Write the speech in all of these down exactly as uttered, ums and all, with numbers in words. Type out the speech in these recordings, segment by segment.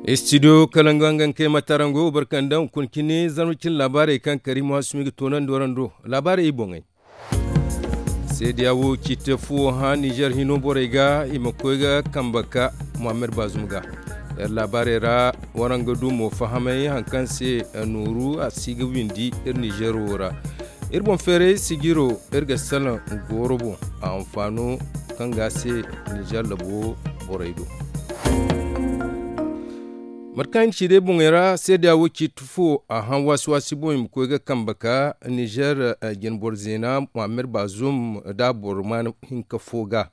Istidiyo kala nga nga kay matarango barkanda hunkuna cine zarma cine laabaarey kaŋ kari muhasumi ga toonandi warando laabaarey i boŋey. Seediya wo ciite fuwo hã nizer hino borey ga i ma koy ga kambe ka muhammad baazum ga. Iri laabaarey ra waraŋ ga du mo fahamay hari kaŋ se nooru a si ga windi iri nizer wo ra. Iri boŋ feeray sijiro iri ga salaŋ gooro boŋ a hanfaano kaŋ ga a se nizer labo borey do. Mate kaŋ i na ci day boŋey ra seediya wo ciiti fo a hã waasi-waasi boŋ i ma koy ga kambe ka nizer jinboro zeena muhammad baazum da boro maana hinka fo ga.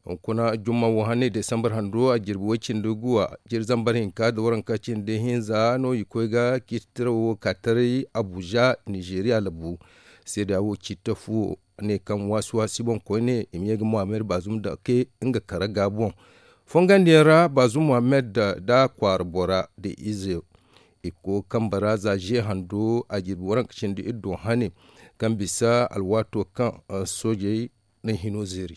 Hunkuna jumma wo hanney desambar hando a jirbi way cindi guwa jiri zambar hinka da waranka cindi hinza no i koy ga ciiti tirawo ka taray abuja nizeeriya labu. Seediya wo ciiti fo ne kaŋ waasi-waasi boŋ koyne i ma ye ga muhammad baazum dake nga kara ga boŋ. Fongandiyaŋ ra baazum muhammad da kwaara bora da ize i ga koy ga kambe ra za ze hando a jirbi waranka cindi iri do hane kaŋ bisa alwaato kaŋ soojey na hino zeeri.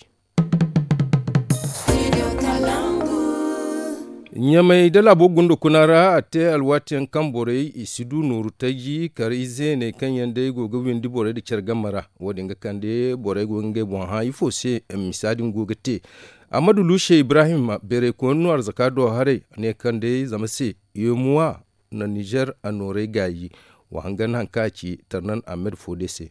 Ɲamay da laabo gunda kuna ra a te alwaati yaŋ kaŋ borey i si du nooru taji kar ize ne kaŋ yaŋ day go ga windi borey nda care game ra. Wo- din ga kande borey go ga ngey boŋ hã ifo se misa din go ga te. Ahmadu luushe ibrahim beerey koyne no arzaka do haray ne kaŋ day zama se yeemuwa na nizer a noorey gaayi. Wa hangan hari kaŋ a ci tarnan ahmed fo day se.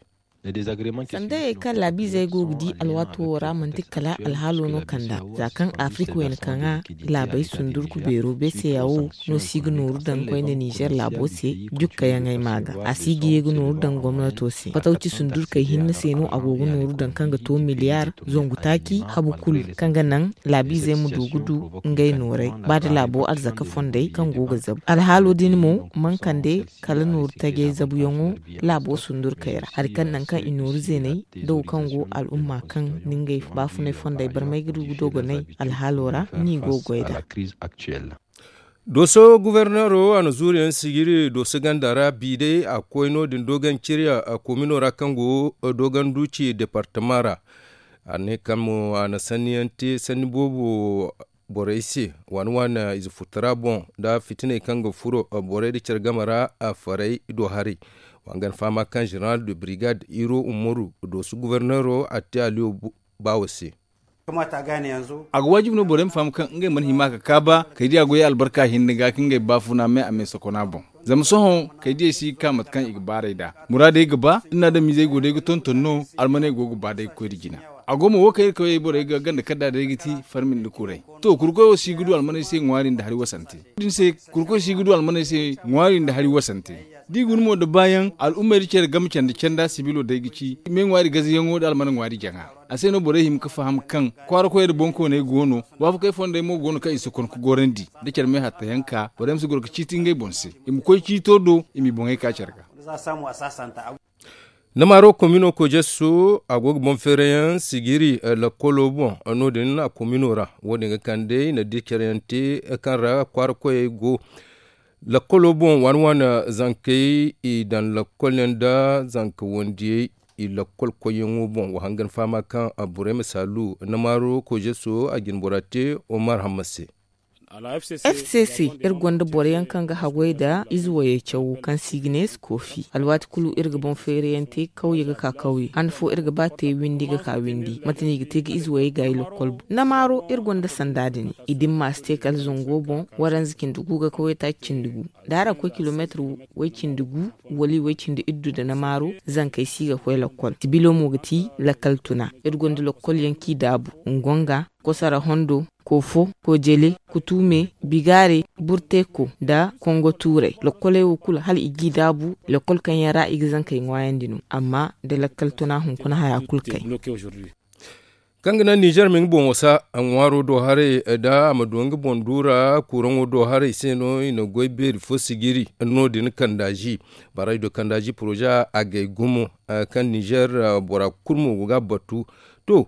Sandayey kaŋ laabiizey go ga di alwaato wo ra manti kala alhaalo no kand'a za kaŋ afirika wayna kaŋ a laabey sundurku beero beeseya wo no si ga nooru daŋ koyne nizer laabo se. Jukkayaŋey ma ga a si ga ye ga nooru daŋ gomnato se fatawci sundurkey hinne se no a go ga nooru daŋ kaŋ ga to miliyar zangu taaci habu kulu kaŋ ga naŋ laabiizey ma du ga du ngey nooray ba da laabo arzaka fondey kaŋ go ga zabu alhaalo din mo man kande kala nooru tajey zabuyaŋo laabo sundurkey ra hari kaŋ naŋ kaŋ i nooru zeeney da wo kaŋ go al'umma kaŋ na ngey baafunay fondey barmay ga du ga dogonay alhaalo ra ni go ga goy nd'a. Dooso guberneero a na zuuriyaŋ sijiri dooso ganda ra bi day a koy no- din doogaŋ ciriya komino ra kaŋ go doogaŋ duuci departama ra. A ne kaŋ mo a na sanniyaŋ te sanni boobo borey se waani waani ize futara boŋ nda fitiney kaŋ ga furo borey nda care game ra. Farey do haray wa nga na fahama kaŋ zeneral de brigade iro umaru dooso guberneero a te aliyo baawo se. A ga waajibi no borey ma faham kaŋ ngey mana hima ka kaaba kay diya goyey albarka hinne ga ka ngey baafuna me a me sokona boŋ. Zama sohõ kay diyey si ga ka mate kaŋ i ga baarey nd'a muraadey ga ba iri na adamizey go day ga tonton no. Almaney go ga ba day ga koy nda jina. A go mo wo kaŋ iri kawey borey ga ganda kadda day ga ti farmi nda kuray. To kurkoy wo si ga du almaney se ŋwaari nda hari wasante. Din se kurkoy si ga du almaney se ŋwaari nda hari wasante. Da i guna mo nda baayaŋ al'ummey nda care game canda canda sibilo day ga ci me ŋwaari gazayaŋo nda almana ŋwaari jaŋa. A se no borey hima ga faham kaŋ kwaara koyey nda boŋkooney go no. Waafakey fondey mo go no kaŋ i si kon ga gorandi nda care me hattayaŋ ka borey ma si goro ga ciiti ngey boŋ se. I ma koy ciito do i m'i boŋey ka care ga. Namaaro komino kojesu a go ga boŋ feerayaŋ sijiri lakkolo boŋ. No- din a komino ra wo- din ga kande i na di care yaŋ te kaŋ ra kwaara koyey go. Lakkolo boŋ waani waani zankey i daŋ lakkol yaŋ nda zanka wandiyey i lakkol koyyaŋo boŋ wa hangan fahama kaŋ borey ma saalu namaaro kojeso a jinbora te. Omar hamma se. F c c iri gonda boro yaŋ kaŋ ga haggoy nda ize wayey cawo kaŋ se i ga ne skoofi alwaati kulu iri ga boŋ feera yaŋ te kawye ga ka kawye han fo iri ga ba te windi ga ka windi mate no i ga te ga ize wayey gaayi lokkol boŋ namaaro iri gonda sanda din. I dimma si te kala zango boŋ waranza cindi gu ga kawye taaci cindi gu da araŋ koy kilomeetir way cindi gu wala i way cindi iddu nda namaaro. Zankey si ga koy lokkol sibilo mo ga ti lakkal tuna iri gonda lokkol yaŋ kaŋ i daabu ngonga, kosara hondo, koofo, kojele, kutume, bigaare, burteko, nda kongo tuuray lokkoley wo kulu hala i g'i daabu. Lokkol kaŋ yaŋ ra i ga zankey ŋwaayandi no amma nda lakkal tuna hunkuna haya kulu kay. Kaŋ ga naŋ nizer ma nga boŋ wasa ŋwaaro do haray nda a ma du nga boŋ duura kuuraŋo do haray se no i na goy beeri fo sijiri. No- din kandaazi baraydo kandaazi poroze agay gumo kaŋ nizer bora kulu mo go ga a batu. To,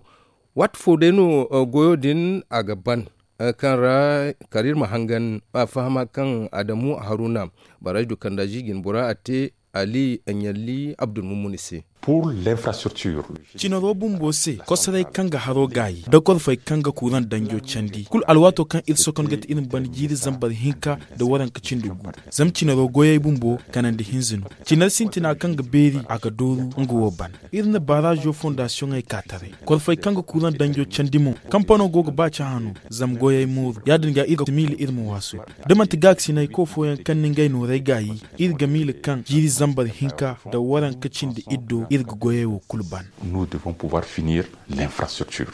waati fo day no goyo din a ga ban kaŋ ra kala iri ma hangan a fahama kaŋ adamu haruna baraydo kandaazi jinbora a te ali ɲalli abdulmumuni se. Pour l'infrastructure. Cinaro bumbo se, kosoray kaŋ ga haro gaayi nda korfey kaŋ ga kuuraŋ danjo candi kulu alwaato kaŋ iri sokon ga ti iri ma ban jiiri zambar hinka nda waranka cindi gu. Zama cinaro goyey bumbo kanandi hinza no. Cinar sintina kaŋ ga beeri a ga dooru nga wo ban. Iri na baarazo fondasiyoŋey ka taray, korfey kaŋ ga kuuraŋ danjo candi mo. Kampano go ga ba cahã no, zama goyey mooru ya- din ga iri ga miila iri ma waasu. Da manti gaakasinay koy fooyaŋ kaŋ na ngey nooray gaayi, iri ga miila kaŋ jiiri zambar hinka nda waranka cindi iddo iri ga goyey wo kulu ban. Nous devons pouvoir finir l'infrastructure.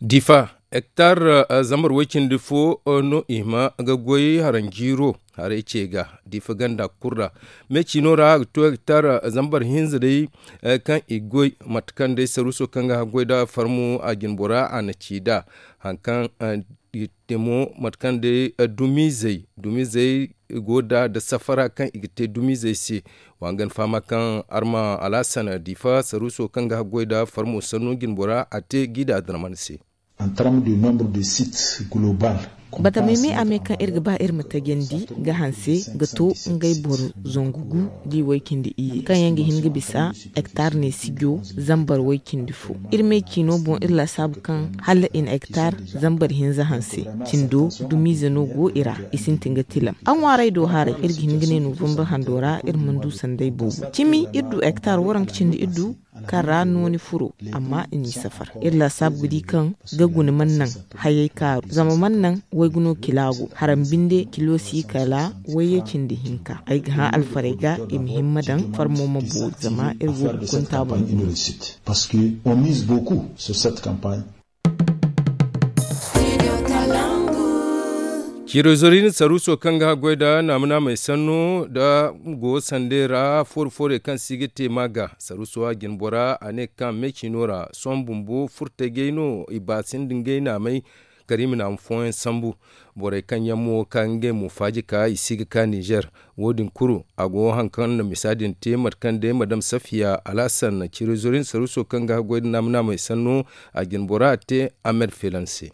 Difa, hektar zambar way-cindi fo no i hima ga goy haranjiiro. Haray ce ga difa ganda kulu ra. Me ciino ra a ga to hektar zambar hinza day kaŋ i goy, mate kaŋ day saruuso kaŋ ga haggoy nda farmo a jinbora a na ci nd'a. Hari kaŋ i te mo, mate kaŋ day dumizey dumizey go nd'a nda safara kaŋ i ga te dumizey se. Wa nga ni fahama kaŋ arma alhasan difa saruuso kaŋ ga haggoy nda farmo sanno jinbora a te g'i da darman se. Batamey me a me kaŋ iri ga ba iri ma tajandi ga hanse ga to ngey boro zangu gu da i way-cindi iyye kaŋ yaŋ ga hin ga bisa hektar ne sijo zambar way-cindi fo. Iri me ciino boŋ iri laasaabu kaŋ hala i na hektar zambar hinza hanse. Cindo dumiize no go i ra, i sintin ga tilam a ŋwaaray do haray iri ga hin ga ne novambar hando ra iri mana du sanday boobo cimi iri du hektar waranka cindi iri du kaŋ ra nooni furo. Amma i n'i safar iri laasaabu ga di kaŋ ga guna mana naŋ hayey kaaru zama mana naŋ wayguno kila go haram binde kilo si kala wayye cindi hinka ay ga hã alfarey ga i ma himma daŋ farmo ma boori zama iri go ga kunta boŋ. Ciirizorina saruuso kaŋ ga haggoy nda naama-naamey sanno nda go sandey ra foori-foorey kaŋ si ga te ma ga saruuso a jinbora a ne kaŋ me ciino ra sohõ bumbo furtajey no i baasi nda ngey naamey kala i ma naama fooyaŋ sambu. Borey kaŋ yaŋ mo ka ngey mo faaji ka i si ga ka nizer. Wo- din kulu a go hari kaŋ na misa din te mate kaŋ day madam safiya alhasan ciirizorina saruuso kaŋ ga haggoy nda naama-naamey sanno a jinbora a te ahmed felan se.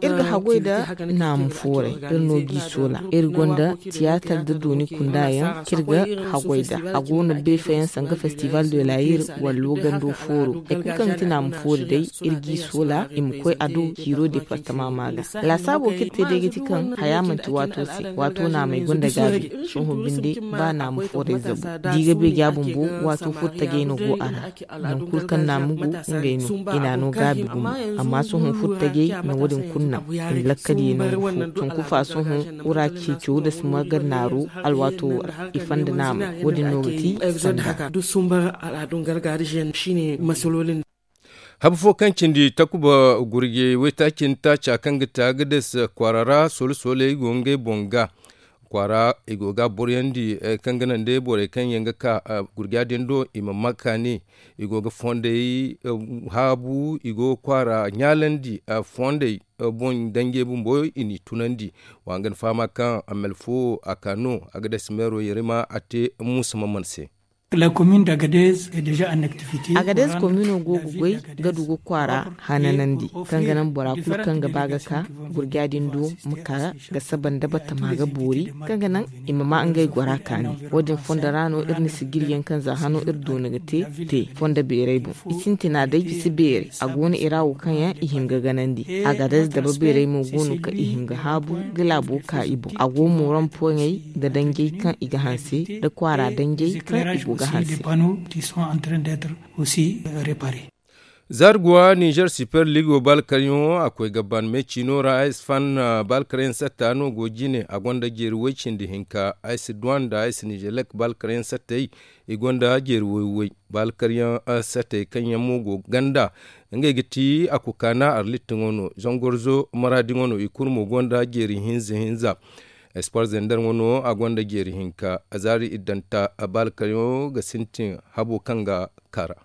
Iri ga haggoy nda naamu fooray iri no g'i soola iri gonda tiyaatar nda dooni kunda yaŋ kaŋ iri ga haggoy nda a go no beefayaŋ sanga festival de la ire wala loogando fooro hari kulu kaŋ ga ti naamu foori day iri g'i soola i ma koy a do ciiro departama ma ga. Laasaabo kaŋ iri te day ga ti kaŋ haya manti waato se waato naamey gonda gaabi. Sohõ binde ba naamu fooray zabu da i ga beeja bumbo waato furtajey no go a ra. Nangu kulu kaŋ naamu go ngey no i n'a no gaabi gumo. Amma sohõ furtajey na wo- din kulu naŋ i na lakkal ye nangu fo. Tunkufa sohõ wura ceeco da si ma ga naaru alwaato wo ra i fanda naamey wo- din no ga ti sanda. Habu fo kaŋ cindi takuba gurje waytaaci nda taaca kaŋ ga ti agades kwaara ra soola-sooley go ngey boŋ ga kwaara i go ga a boroyandi kaŋ ga naŋ day borey kaŋ yaŋ ga ka gurja din do i ma ma kaani. I go ga fondey haabu i go ga kwaara ɲaalandi fondey boŋ danjey bumbo i n'i tunandi. Wa nga ni fahama kaŋ a mel fo a ka no agades meero yerima a te muusa maman se. Agades komino go ga goy ga du ga kwaara hananandi kaŋ ga naŋ bora kulu kaŋ ga ba ga ka gurja din do ma ka ga saba nda batama ga boori kaŋ ga naŋ i ma ma ngey gora kaani. Wo- din fondo ra no iri na sijiriyaŋ kaŋ za hano iri doona ga te te fondo beeray boŋ i sintina day bisa beeray a go no i ra wo kaŋ yaŋ i hin ga ganandi. Agades daba beeray mo go no kaŋ i hin ga haabu ga laabo ka i boŋ a go mooran poŋey nda danjey kaŋ i ga hanse nda kwaara danjey kaŋ i go ga hanse. Aussi réparé. Zarguwa nizer super ligo balkaryaŋo a koy ga ban me ciino ra ay si fan balkaryaŋ satta no go jine a gonda jeeri way cindi hinka ay si duwan nda ay si nizelek balkaryaŋ sattey. I gonda jeeri way way balkaryaŋ sattey kaŋ yaŋ mo go ganda ngey ga ti a kukaana arlitti ŋo no zangorzo maraadi ŋo no i kulu mo gonda jeeri hinza hinza. Espoir zender ŋo no a gonda jeeri hinka zaari iddanta balkaryaŋo ga sintin habo kaŋ ga kara.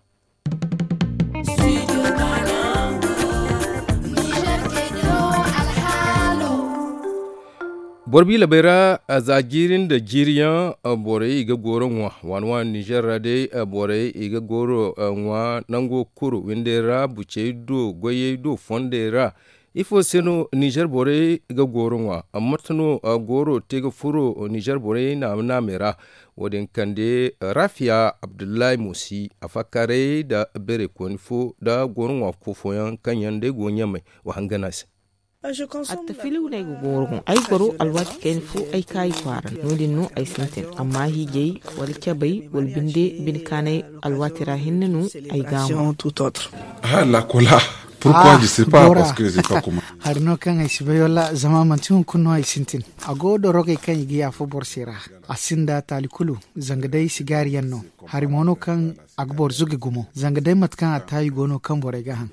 Borbi labay ra za jiiri nda jiiriyaŋ borey i ga gooro ŋwa waani waani nizer ra day borey i ga gooro ŋwa nango kuru windey ra bucey do goyey do fondey ra. Ifo se no nizer borey ga gooro ŋwa? Mate no gooro te ga furo nizer borey naame naamey ra? Wo- din kande rafiya abdullahi musi a fakkaaray nda beerey kooni fo nda gooro ŋwa fo fooyaŋ kaŋ yaŋ day go ɲamay wa hangan a se. Attafiliw no ay ga gooro boŋ ay goro alwaati kayna fo ay kaayi kwaara no- din no ay sintin amma hiijay wala cabay wala binde bine kaanay alwaati ra hinne no ay ga ŋwa. Hala kola. Pourquoi je sais pas parce que je sais pas comment. Hari no kaŋ ay si bay wala zama manti hunkuna no ay sintin. A go dorogey kaŋ i ga yaafa boro se ra. A sinda taali kulu. Zanga day sigaari yaŋ no. Hari mo no kaŋ a ga boro zuge gumo zanga day mate kaŋ a taayi go no kaŋ borey ga haŋ.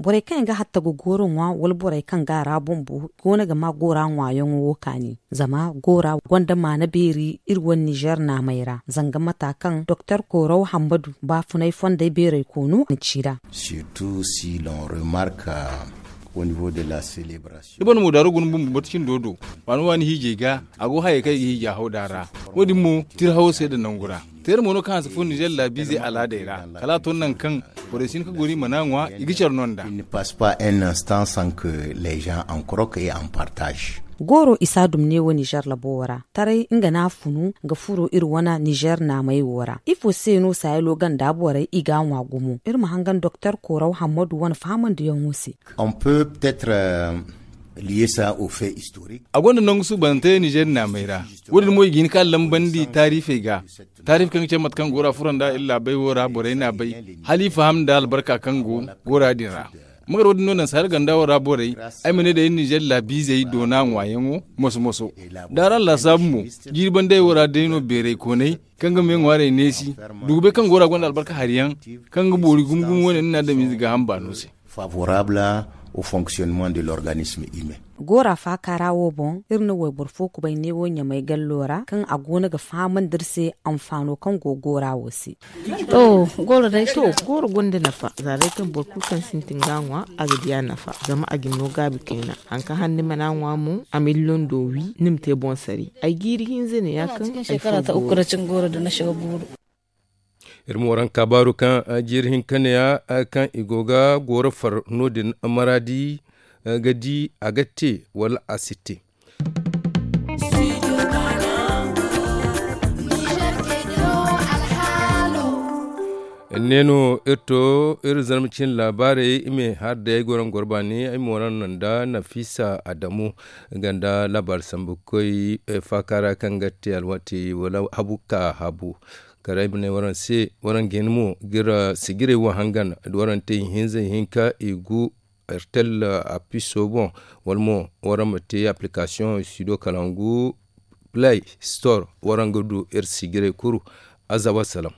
Borey kaŋ yaŋ ga hatta ga gooro ŋwa wala borey kaŋ ga a ra bumbo go no ga ma goora ŋwaayaŋo wo kaani. Zama goora gonda maana beeri iri wane nizer naamey ra zanga mata kaŋ doktor kooro hammadu baafunay fondey beerey koonu na ci ra. Surtout si l'on remarque au niveau de la celebration. Da boro na moodaaro guna bumbo batu cindo do waani waani hiijay ga a go hayey kaŋ i ga hiija haw da ra. Wo- din mo tira hawo se nda nangu ra. Teera mo no kaŋ hanse fo nizer laabiizey alaadey ra kala a to nangu kaŋ borey si hin ka goro i mana ŋwa i ga care no nd'a. Il ne passe pas un instant sans que les gens en croque et en partage. Gooro isa dum ne wo nizer labo wo ra taray nga no a funu ga furo iri wane nizer naamey wo ra ifo se no saayalo ganda borey i ga a ŋwa gumo iri ma hangan doktor kooro hammadu wane fahamandiyaŋo se. On peut peut-être lier ça au fait historique. A gonda nangu suubanante nizer naamey ra. Wo- din mo i ga hin ka lambandi taarifey ga. Taarif kaŋ ga cabe mate kaŋ goora furo nd'a iri laabey wo ra borey n'a bay hala i faham nda albarka kaŋ go goora din ra. Ma gar wo- din no naŋ saayal ganda wo ra borey ay ma ne day iri nizer laabiizey doona ŋwaayaŋo moso moso. Da araŋ laasaabu mo jiiri bandey wo ra day no beerey koonay kaŋ ga me ŋwaarey neesi. Dugubey kaŋ goora gonda albarka hari yaŋ kaŋ ga boori gumo gumo wane ni na adamize gaaham baano se. Favorable au fonctionnement de l'organisme humain. Goora faaka ra wo boŋ iri na wayboro fo kubay neewo ɲamay gallo ra kaŋ a go no ga fahamandi iri se anfaano kaŋ go goora wo se. To gooro gonda nafa za day kaŋ boro kulu kaŋ sintin ga a ŋwa a ga di a nafa zama a ga ni no gaabi kayna. Hari kaŋ hane ni mana a ŋwa mo a ma iri londo wi ni ma te boŋ sari. Ay jiiri hinza ne ya kaŋ ay fo gooro. Iri ma waraŋ kaabaaru kaŋ jiiri hinka ne ya kaŋ i go ga gooro far no- din maraadi ga di a ga te wala a si te. Ne no iri to iri zarma cine laabaarey i ma ay har day ay go naŋ goro baani ay ma waraŋ naŋ nda nafisa adamu ganda laabaari sambu koy faaka ra kaŋ ga te alwaati wala habu ka habu. Kala ay ma ne waraŋ se waraŋ ga hin mo ga iri sijirey wo hangan da waraŋ te ihinza ihinka igu ertel apiso boŋ wala mo waraŋ ma te applikasiyoŋ studio kalangu play store waraŋ ga du iri sijirey kulu. Aza wassalam.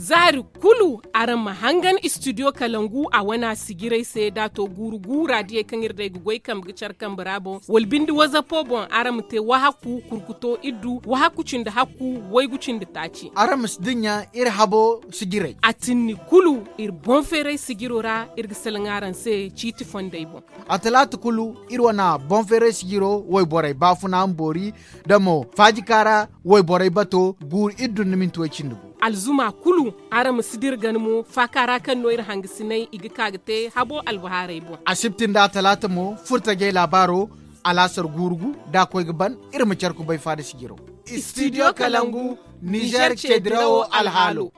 Zaari kulu araŋ ma hangan studio kalangu a wana sijirey se da a to guuru guura diyey kaŋ iri day ga goy kambe ga care kambe ra boŋ wala binde wazapo boŋ araŋ ma te wahaku kurkuto iddu wahaku cindi hakku waygu cindi taaci. Araŋ ma si dinya iri habo sijirey. A tinni kulu iri boŋ feeray sijiro ra iri ga salaŋ araŋ se ciiti fondey boŋ. A talaata kulu iri wana boŋ feeray sijiro wayborey baafuna ma boori da mo faajika ra wayborey bato guuru iddu nda minti way cindi gu. Alzuma kulu araŋ ma si dira gana mo faaka ra kaŋ no iri hangasinay i ga ka ga te habo albahaarey boŋ. Asibti nda atalaata mo furtajey laabaaro alaasar guuru gu da a koy ga ban iri ma care kubay faada sijiro. Studio kalangu nizer ceedirawo alhaalo.